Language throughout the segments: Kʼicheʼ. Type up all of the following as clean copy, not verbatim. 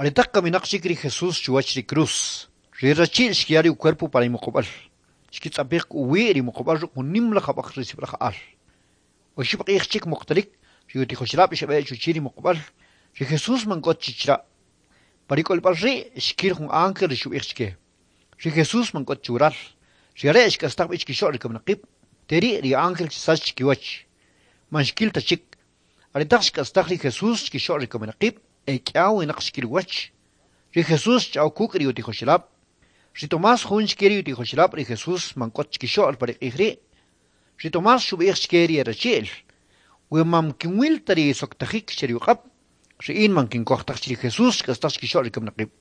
Aretaq kaminaq chik ri Jesús chuwach ri cruz, ri rachi'l xkiya ri ucuerpo pa ri muqub'al. Xkitz'apij k'u uwi' ri muqub'al ruk' jun nim laj ab'aj ri sib'alaj al. Oxib' q'ij chik muqtalik, ri utijoxelab' xeb'e chuchi' ri muqub'al, ri Jesús man k'o ta chi chila'. Pa ri k'olib'al ri' xkil jun ángel ri xub'ij chke: Ri Jesús man k'o ta chi waral, ri are' xk'astaj b'i chkixo'l ri kaminaqib'. Te ri' ri ángel xsach chkiwach, man xkil ta chik. Aretaq xk'astaj ri Jesús chkixo'l ri kaminaqib', e k'ia winaq xkil uwach. Ri Jesús xch'aw kuk' ri utijoxelab'. Ri Tomás jun chke ri utijoxelab' ri Jesús man k'o ta chkixo'l pa ri q'ij ri'. Ri Tomás xub'ij chke ri e rachi'l: We man kinwil ta ri soktajik che ri uq'ab', ri in man kinkoj taj chi ri Jesús xk'astaj chkixo'l ri kaminaqib'.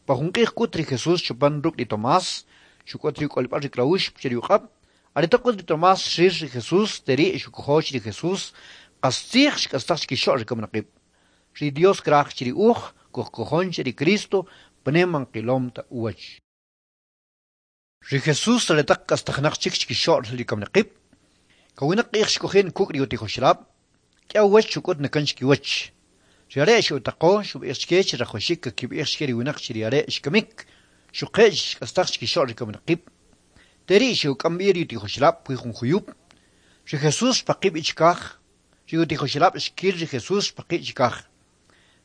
Pa jun q'ij k'ut ri Jesús xopan ruk' ri Tomás, xuk'ut ri uk'olib'al ri klawux che ri uq'ab'. Aretaq k'ut ri Tomás xril ri Jesús, te ri' xukojo chi ri Jesús qastzij xk'astaj chkixo'l ri kaminaqib'. Ri Dios kraj chi ri uj kujkojon che ri Cristo pane man qilom ta uwach. Ri Jesús aretaq k'astajinaq chik chkixo'l ri kaminaqib', kawinaq q'ij xk'oji' kuk' ri utijoxelab', k'ia uwach xuk'ut na kan chkiwach. Ri are' xe'utaqo, xub'ij chke chi rajawaxik kakib'ij chke ri winaq chi ri are' xkamik, xuquje' chi xk'astaj chkixo'l ri kaminaqib'. Te ri' xe'uk'am b'i ri utijoxelab' puwi' jun juyub'. Ri Jesús xpaqi' b'i chikaj, ri utijoxelab' xkil ri Jesús xpaqi' chikaj.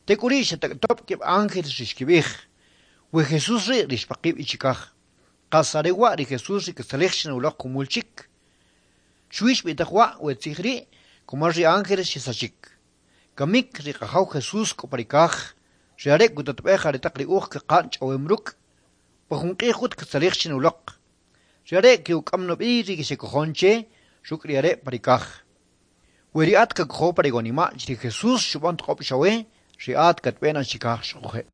Tek'uri' xetak'tob' keb' ángeles ri xkib'ij: We Jesús ri' ri xpaqi' b'i chikaj, qas are wa' ri Jesús ri katzalij chi na uloq jumul chik. Xuwi xb'i'taj wa' we tzij ri' kumal ri ángeles xesachik. Kamik ri Qajaw Jesús k'o pa ri kaj, ri are' kutatb'ej aretaq ri uj kaqa'n ch'awem ruk'. Pa jun q'ij k'ut katzalij chi na uloq. Ri are' ke'uk'am na b'i ri xekojon che ruk' ri are' pa ri kaj. We ri at kakojo pa ri awanima' chi ri Jesús xub'an toq'ob' chawe, ri at katb'e na chikaj xuquje'.